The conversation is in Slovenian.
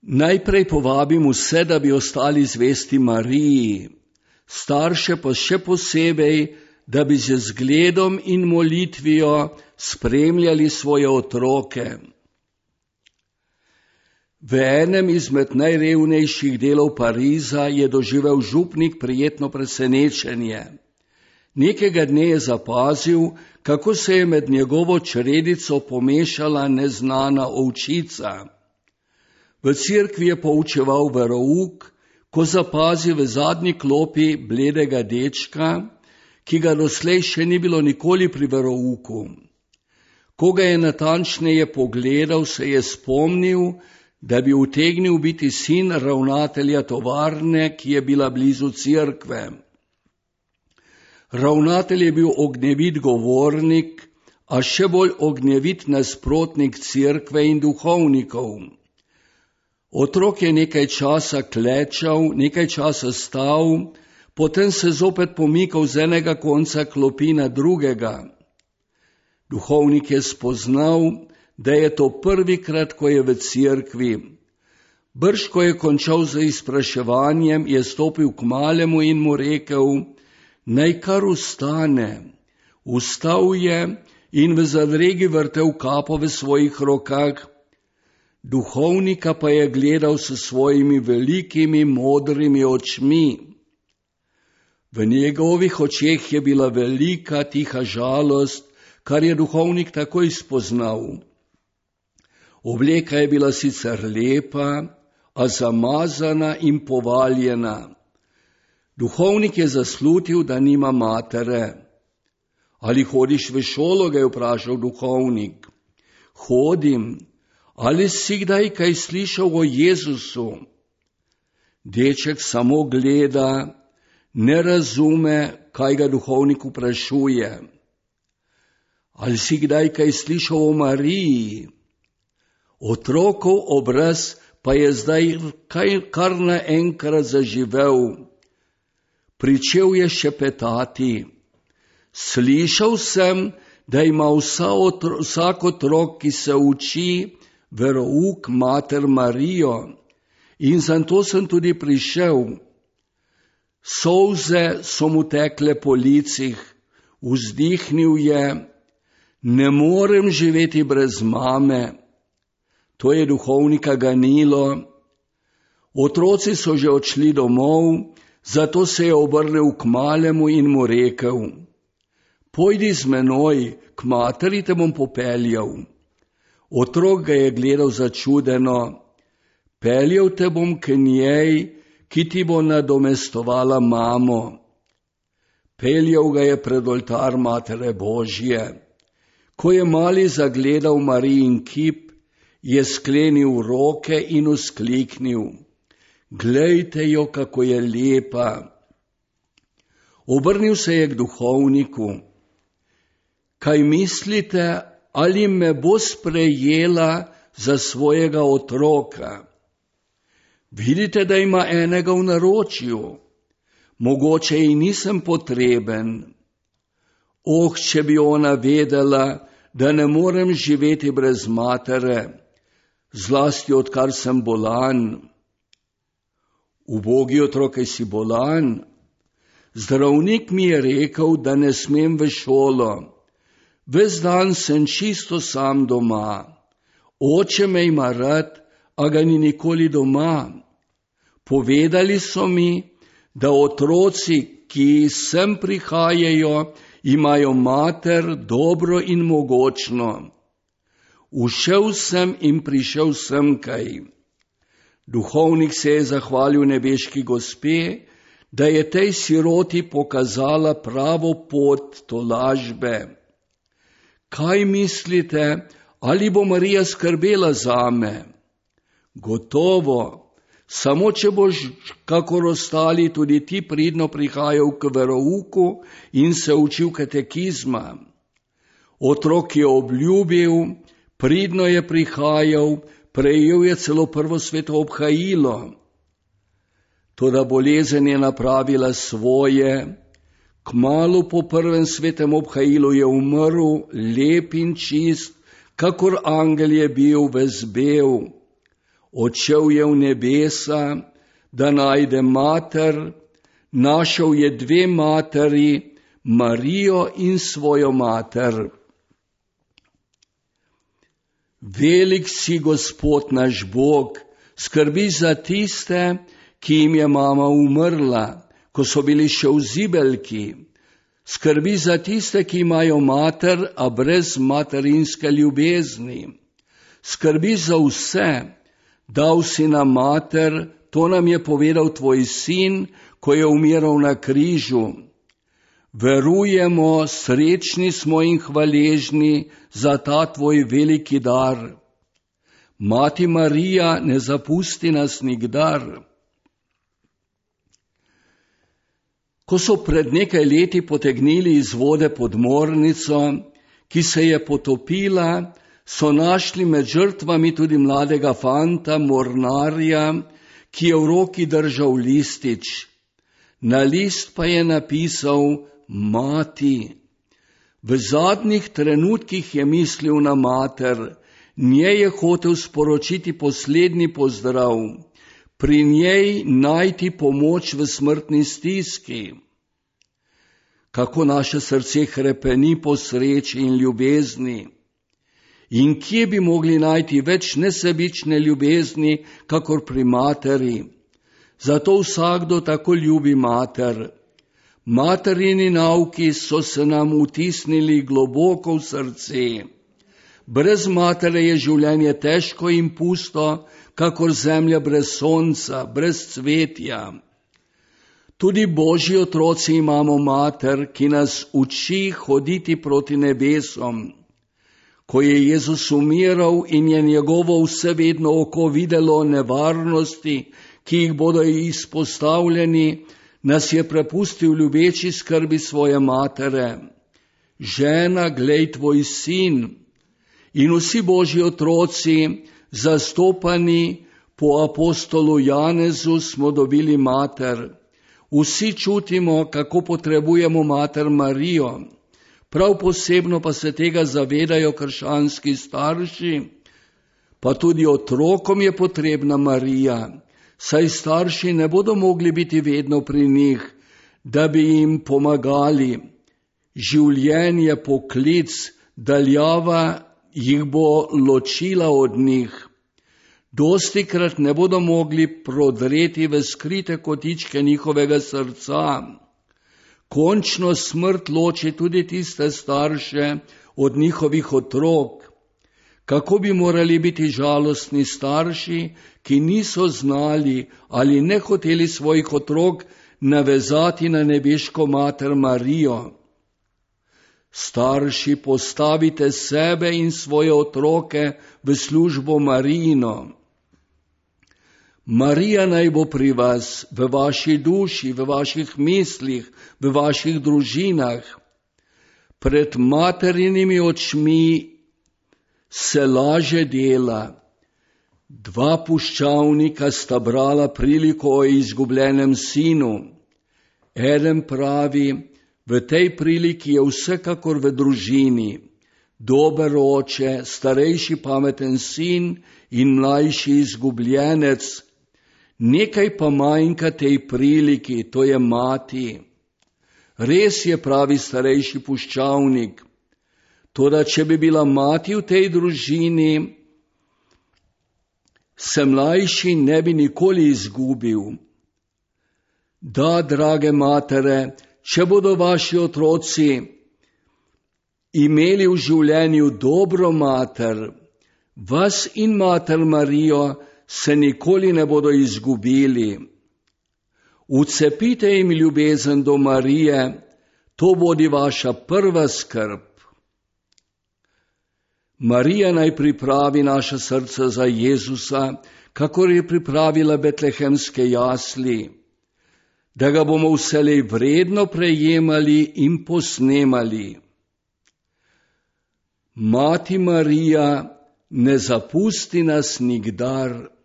Najprej povabim vse, da bi ostali zvesti Mariji, starše pa še posebej, da bi z zgledom in molitvijo spremljali svoje otroke. V enem izmed najrevnejših delov Pariza je doživel župnik prijetno presenečenje. Nekega dne je zapazil, kako se je med njegovo čredico pomešala neznana ovčica. V cerkvi je poučeval verouk, ko zapazi v zadnji klopi bledega dečka, ki ga doslej še ni bilo nikoli pri verouku. Ko ga je natančneje pogledal, se je spomnil, da bi utegnil biti sin ravnatelja tovarne, ki je bila blizu cerkve. Ravnatelj je bil ognjevit govornik, a še bolj ognjevit nasprotnik cerkve in duhovnikov. Otrok je nekaj časa klečal, nekaj časa stal, potem se zopet pomikal z enega konca klopi na drugega. Duhovnik je spoznal, da je to prvikrat, ko je v cerkvi. Brž, ko je končal z izpraševanjem, je stopil k malemu in mu rekel, naj kar ustane. Vstal je in v zadregi vrtel kapo v svojih rokah. Duhovnika pa je gledal s svojimi velikimi modrimi očmi. V njegovih očeh je bila velika tiha žalost, kar je duhovnik takoj spoznal. Obleka je bila sicer lepa, a zamazana in povaljena. Duhovnik je zaslutil, da nima matere. Ali hodiš v šolo, ga je vprašal duhovnik. Hodim. Ali si kdaj kaj slišal o Jezusu? Deček samo gleda, ne razume, kaj ga duhovnik vprašuje. Ali si kdaj kaj slišal o Mariji? Otrokov obraz pa je zdaj kar naenkrat zaživel. Pričel je šepetati. Slišal sem, da ima vsak otrok, ki se uči, verouk mater Marijo, in zato sem tudi prišel. Solze so mu tekle po licih, vzdihnil je, ne morem živeti brez mame. To je duhovnika ganilo. Otroci so že odšli domov, zato se je obrnil k malemu in mu rekel, pojdi z menoj, k materi te bom popeljal. Otrok ga je gledal začudeno, peljal te bom k njej, ki ti bo nadomestovala mamo. Peljal ga je pred oltar Matere Božje. Ko je mali zagledal Marijin kip, je sklenil roke in vzkliknil, glejte jo, kako je lepa. Obrnil se je k duhovniku. Kaj mislite, ali me bo sprejela za svojega otroka? Vidite, da ima enega v naročju. Mogoče ji nisem potreben. Če bi ona vedela, da ne morem živeti brez matere, zlasti odkar sem bolan. Ubogi otrok, si bolan? Zdravnik mi je rekel, da ne smem v šolo. Ves dan sem čisto sam doma. Oče me ima rad, a ga ni nikoli doma. Povedali so mi, da otroci, ki sem prihajajo, imajo mater dobro in mogočno. Ušel sem in prišel semkaj. Duhovnik se je zahvalil nebeški gospe, da je tej siroti pokazala pravo pot tolažbe. Kaj mislite, ali bo Marija skrbela zame? Gotovo, samo če boš, kakor ostali, tudi ti pridno prihajal k verouku in se učil katekizma. Otrok je obljubil, pridno je prihajal, prejel je celo prvo sveto obhajilo. Toda bolezen je napravila svoje. Kmalu po prvem svetem obhajilu je umrl, lep in čist, kakor angel je bil ves bel. Odšel je v nebesa, da najde mater, našel je 2 materi, Marijo in svojo mater. Velik si Gospod naš Bog, skrbi za tiste, ki jim je mama umrla, ko so bili še v zibelki. Skrbi za tiste, ki imajo mater, a brez materinske ljubezni. Skrbi za vse, dal si nam mater, to nam je povedal tvoj sin, ko je umiral na križu. Verujemo, srečni smo in hvaležni za ta tvoj veliki dar. Mati Marija, ne zapusti nas nikdar. Ko so pred nekaj leti potegnili iz vode podmornico, ki se je potopila, so našli med žrtvami tudi mladega fanta, mornarja, ki je v roki držal listič. Na list pa je napisal Mati. V zadnjih trenutkih je mislil na mater, njej je hotel sporočiti poslednji pozdrav, pri njej najti pomoč v smrtni stiski. Kako naše srce hrepeni po sreči in ljubezni. In kje bi mogli najti več nesebične ljubezni, kakor pri materi? Zato vsakdo tako ljubi mater. Materini nauki so se nam vtisnili globoko v srce. Brez matere je življenje težko in pusto, kakor zemlja brez sonca, brez cvetja. Tudi Božji otroci imamo mater, ki nas uči hoditi proti nebesom. Ko je Jezus umiral in je njegovo vsevedno oko videlo nevarnosti, ki jih bodo izpostavljeni, nas je prepustil ljubeči skrbi svoje matere. Žena, glej tvoj sin. In vsi Božji otroci, zastopani po apostolu Janezu, smo dobili mater. Vsi čutimo, kako potrebujemo mater Marijo. Prav posebno pa se tega zavedajo krščanski starši, pa tudi otrokom je potrebna Marija, saj starši ne bodo mogli biti vedno pri njih, da bi jim pomagali. Življenje, poklic, daljava jih bo ločila od njih. Dostikrat ne bodo mogli prodreti v skrite kotičke njihovega srca. Končno smrt loči tudi tiste starše od njihovih otrok. Kako bi morali biti žalostni starši, ki niso znali ali ne hoteli svojih otrok navezati na nebeško mater Marijo. Starši, postavite sebe in svoje otroke v službo Marijino. Marija naj bo pri vas, v vaši duši, v vaših mislih, v vaših družinah. Pred materinimi očmi se laže dela. 2 puščavnika sta brala priliko o izgubljenem sinu. Eden pravi, v tej priliki je vsekakor v družini. Dober oče, starejši pameten sin in mlajši izgubljenec. Nekaj pa manjka tej priliki, to je mati. Res je, pravi starejši puščavnik, toda če bi bila mati v tej družini, se mlajši ne bi nikoli izgubil. Da, drage matere, če bodo vaši otroci imeli v življenju dobro mater, vas in mater Marijo se nikoli ne bodo izgubili. Vcepite jim ljubezen do Marije, to bodi vaša prva skrb. Marija naj pripravi naša srca za Jezusa, kakor je pripravila betlehemske jasli, da ga bomo vselej vredno prejemali in posnemali. Mati Marija, ne zapusti nas nikdar.